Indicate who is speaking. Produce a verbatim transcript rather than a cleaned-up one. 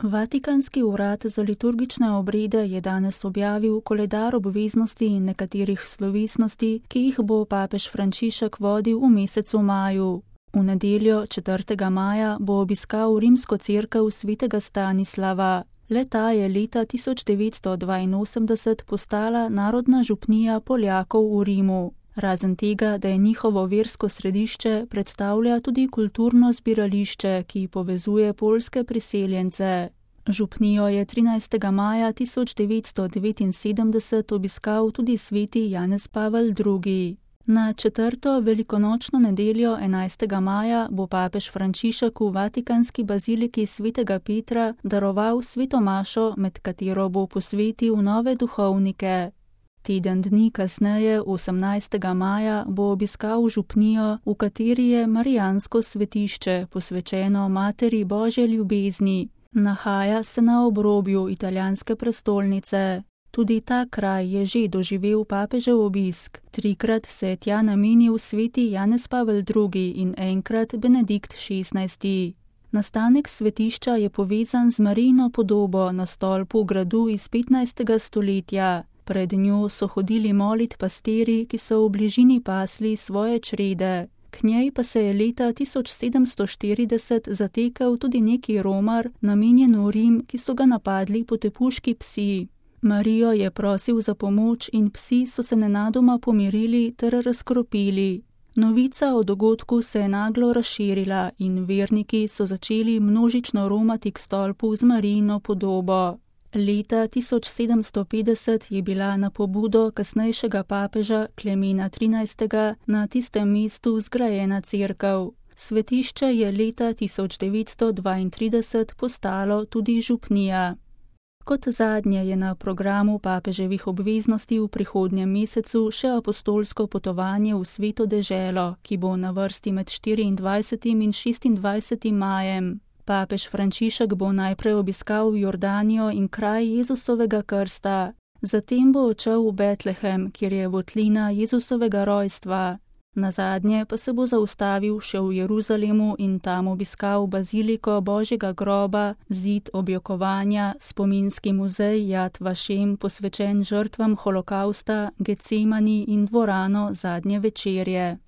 Speaker 1: Vatikanski urad za liturgične obrede je danes objavil koledar obveznosti in nekaterih slovesnosti, ki jih bo papež Frančišek vodil v mesecu maju. V nedeljo četrtega maja bo obiskal rimsko cerkev svetega Stanislava. Le-ta je leta tisoč devetsto dvainosemdeset postala narodna župnija Poljakov v Rimu. Razen tega, da je njihovo versko središče, predstavlja tudi kulturno zbirališče, ki povezuje poljske priseljence. Župnijo je trinajstega maja tisoč devetsto devetinsedemdeset obiskal tudi sveti Janez Pavel drugi. Na četrto velikonočno nedeljo enajstega maja bo papež Frančišek v vatikanski baziliki svetega Petra daroval sveto mašo, med katero bo posvetil nove duhovnike. Teden dni kasneje, osemnajstega maja, bo obiskal župnijo, v kateri je marijansko svetišče, posvečeno Materi Božje ljubezni. Nahaja se na obrobju italijanske prestolnice. Tudi ta kraj je že doživel papežev obisk. Trikrat se je tja namenil sveti Janez Pavel drugi in enkrat Benedikt šestnajsti. Nastanek svetišča je povezan z Marijino podobo na stolpu gradu iz petnajstega stoletja. Pred njo so hodili molit pastiri, ki so v bližini pasli svoje črede. K njej pa se je leta tisoč sedemsto štirideset zatekel tudi neki romar, namenjen v Rim, ki so ga napadli potepuški psi. Marijo je prosil za pomoč in psi so se nenadoma pomirili ter razkropili. Novica o dogodku se je naglo razširila in verniki so začeli množično romati k stolpu z Marijino podobo. Leta tisoč sedemsto petdeset je bila na pobudo kasnejšega papeža Klemena trinajstega na tistem mestu zgrajena cerkev. Svetišče je leta tisoč devetsto dvaintrideset postalo tudi župnija. Kot zadnje je na programu papeževih obveznosti v prihodnjem mesecu še apostolsko potovanje v sveto deželo, ki bo na vrsti med štiriindvajsetim in šestindvajsetim majem. Papež Frančišek bo najprej obiskal Jordanijo in kraj Jezusovega krsta, zatem bo odšel v Betlehem, kjer je votlina Jezusovega rojstva. Nazadnje pa se bo zaustavil še v Jeruzalemu in tam obiskal baziliko Božjega groba, zid objokovanja, spominski muzej Jad Vašem posvečen žrtvam holokausta, Getsemani in dvorano zadnje večerje.